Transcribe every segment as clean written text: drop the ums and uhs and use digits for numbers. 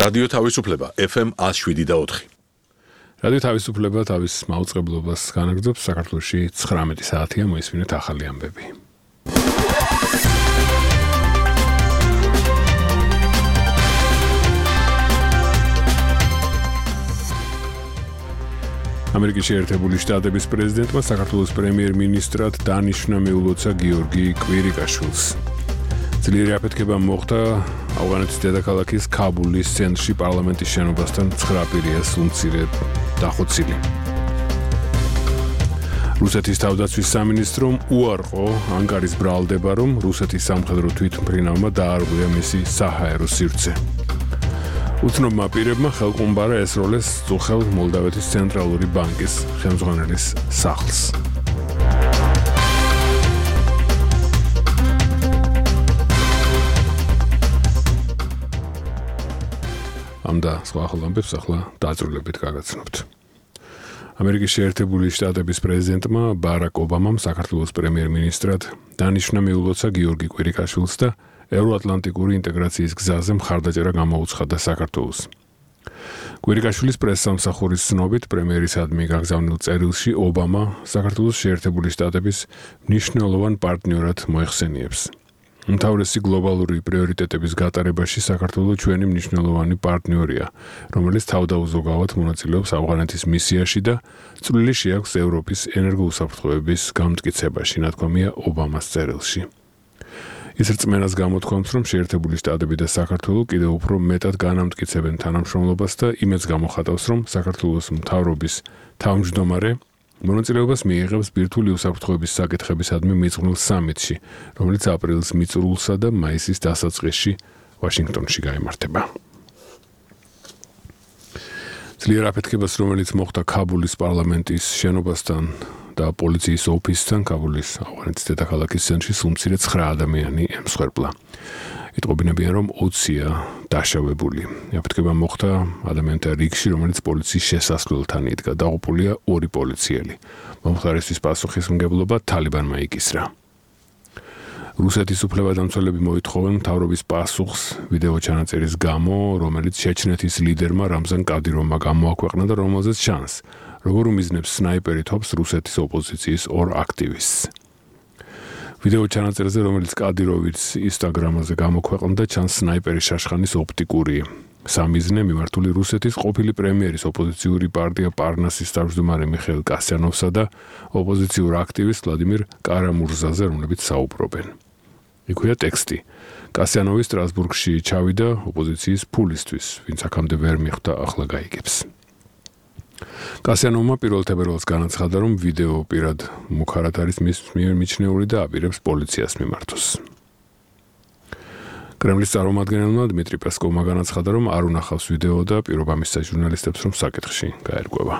რადიო თავისუფლება FM 107.4. რადიო თავისუფლება თავის მაუწყებლობას განაგრძობს საქართველოში 19 საათია მოისმინეთ ახალი ამბები. ამერიკის შეერთებული შტატების პრეზიდენტმა საქართველოს პრემიერ-მინისტრად დანიშნა მიულოცა გიორგი კვირიკაშვილს. ძლიერი აფეთქება მოხდა ავღანეთის დედაქალაქის ქაბულის ცენტრში პარლამენტის შენობასთან 9 პირია სულმცირე დახოცილი. რუსეთის თავდაცვის სამინისტრომ უარყო ანკარის ბრალდება, რომ რუსეთის სამხედრო თვითმფრინავმა დაარღვია მისი საჰაერო სივრცე. უცნობმა პირებმა ხელყუმბარა ესროლეს წუხელ მოლდავეთის ცენტრალური ბანკის ხელმძღვანელის სახლს. ამდა სხვა ახალ ამბებს ახლა დაწვრილებით გაგაცნობთ. ამერიკის შეერთებული შტატების პრეზიდენტმა ბარაკ ობამამ საქართველოს პრემიერ-მინისტრად დანიშნა მიულოცა გიორგი კვირიკაშვილს და ევროატლანტიკური ინტეგრაციის გზაზე მხარდაჭერა გამოუცხადა საქართველოს. კვირიკაშვილის პრესსამსახურის ცნობით პრემიერისადმი გაგზავნილ წერილში ობამა საქართველოს შეერთებული შტატების მნიშვნელოვან პარტნიორად მოიხსენიებს. უმთავრესი გლობალური პრიორიტეტების გატარებაში საქართველო ჩვენი მნიშვნელოვანი პარტნიორია, რომელიც თავდაუზოგავად მონაწილეობს ავღანეთის მისიაში და წვლილი შეაქვს ევროპის ენერგოუსაფრთხოების გამტკიცებაში, ნათქვამია ობამას წერილში. ის რწმენას გამოთქვამს, რომ შეერთებული შტატები და საქართველო კიდევ უფრო მეტად განამტკიცებენ თანამშრომლობას და იმედს გამოხატავს, რომ საქართველოს მთავრობის თავმჯდომარე მონაწილეობას მიიღებს ბირთვული უსაფრთხოების საკითხებისადმი მიძღვნილ სამიტში, რომელიც აპრილის მიწურულსა და მაისის დასაწყისში ვაშინგტონში გაიმართება. ძლიერ აფეთქებას, რომელიც მოხდა ქაბულის პარლამენტის შენობასთან და პოლიციის ოფისთან ქაბულის ავღანეთის დედაქალაქის ცენტრში სულმცირე 9 ადამიანი ემსხვერპლა. იტყობინებიან, რომ 20-ია დაშავებული. აფეთქება მოხდა ადამიანთა რიგში, რომელიც პოლიციის შესასვლელთან იდგა. დაღუპულია 2 პოლიციელი. მომხდარისთვის პასუხისმგებლობა თალიბანმა იკისრა. რუსეთის უფლებადამცველები მოითხოვენ მთავრობის პასუხს ვიდეო ჩანაწერის გამო, რომელიც ჩეჩნეთის ლიდერმა რამზან კადიროვმა გამოაქვეყნა და რომელზეც ჩანს, როგორ უმიზნებს სნაიპერი თოფს რუსეთის ოპოზიციის 2 აქტივისტს. ვიდეო ჩანაწერზე, რომელიც კადიროვიც ინსტაგრამაზე გამოქვეყნდა, ჩანს სნაიპერის შაშხანის ოპტიკური სამიზნე მიმართული რუსეთის ყოფილი პრემიერის ოპოზიციური პარტია პარნასის თავმჯდომარე მიხეილ კასიანოვსა და ოპოზიციურ აქტივისტ ვლადიმირ კარამურზაზე, რომლებიც საუბრობენ. იქვეა ტექსტი. კასიანოვი სტრასბურგში ჩავიდა ოპოზიციის ფულისთვის, ვინც აქამდე ვერ მიხვდა, ახლა გაიგებს. კასიანოვმა პირველ თებერვალს განაცხადა, რომ ვიდეო პირად მუქარად არის მის მიერ მიჩნეული და აპირებს პოლიციას მიმართოს. კრემლის წარმომადგენელმა დმიტრი პესკოვმა განაცხადა, რომ არ უნახავს ვიდეო და პირობა მისცა ჟურნალისტებს, რომ საკითხში გაერკვევა.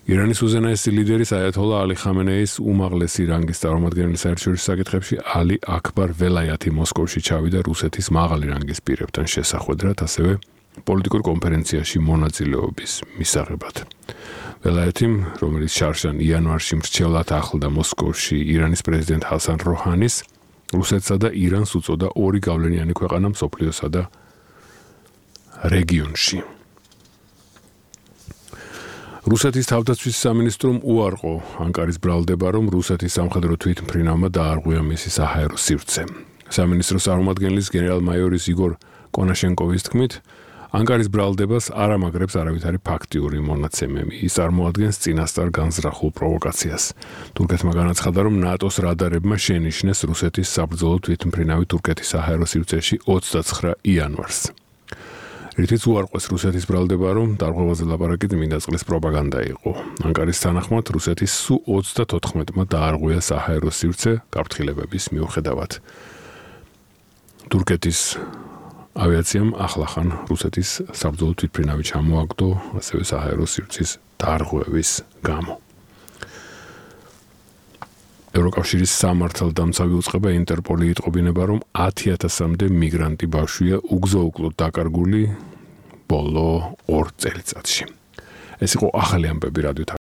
ირანის უზენაესი ლიდერის აიათოლა ალი ხამენეის უმაღლესი რანგის წარმომადგენელი საერთაშორისო საკითხებში ალი აქბარ ველაიათი მოსკოვში ჩავიდა რუსეთის მაღალი რანგის პირებთან შესახვედრად, ასევე პოლიტიკურ კონფერენციაში მონაწილეობის მისაღებად. ველაიათიმ, რომელიც შარშან იანვარში მრჩევლად ახლდა მოსკოვში ირანის პრეზიდენტ ჰასან როჰანის, რუსეთსა და ირანს უწოდა 2 გავლენიანი ქვეყანა მსოფლიოსა და რეგიონში. რუსეთის თავდაცვის სამინისტრომ უარყო ანკარის ბრალდება, რომ რუსეთის სამხედრო თვითმფრინავმა დაარღვია მისი საჰაერო სივრცე. სამინისტროს წარმომადგენლის გენერალ-მაიორის იგორ კონაშენკოვის თქმით, ანკარის ბრალდებას არ ამაგრებს არავითარი ფაქტიური მონაცემი. ის წარმოადგენს წინასწარ განზრახულ პროვოკაციას. თურქეთმა განაცხადა, რომ ნატოს რადარებმა შენიშნეს რუსეთის საბრძოლო თვითმფრინავი თურქეთის საჰაერო სივრცეში 29 იანვარს. რითიც უარყვეს რუსეთის ბრალდება, რომ დარღვევაზე ლაპარაკი წმინდა წყლის პროპაგანდა იყო. ანკარის თანახმად რუსეთის სუ 34-მა დაარღვია საჰაერო სივრცე გაფრთხილებების მიუხედავად. თურქეთის ავიაციამ ახლახან რუსეთის საბრძოლო თვითმფრინავი ჩამოაგდო, ასევე საჰაერო სივრცის დარღვევის გამო. ევროკავშირის სამართალდამცავი უწყება ინტერპოლი იტყობინება, რომ 10,000-მდე მიგრანტი ბავშვია უგზო-უკლოდ დაკარგული ბოლო 2 წელიწადში. ეს იყო ახალი ამბები რადიო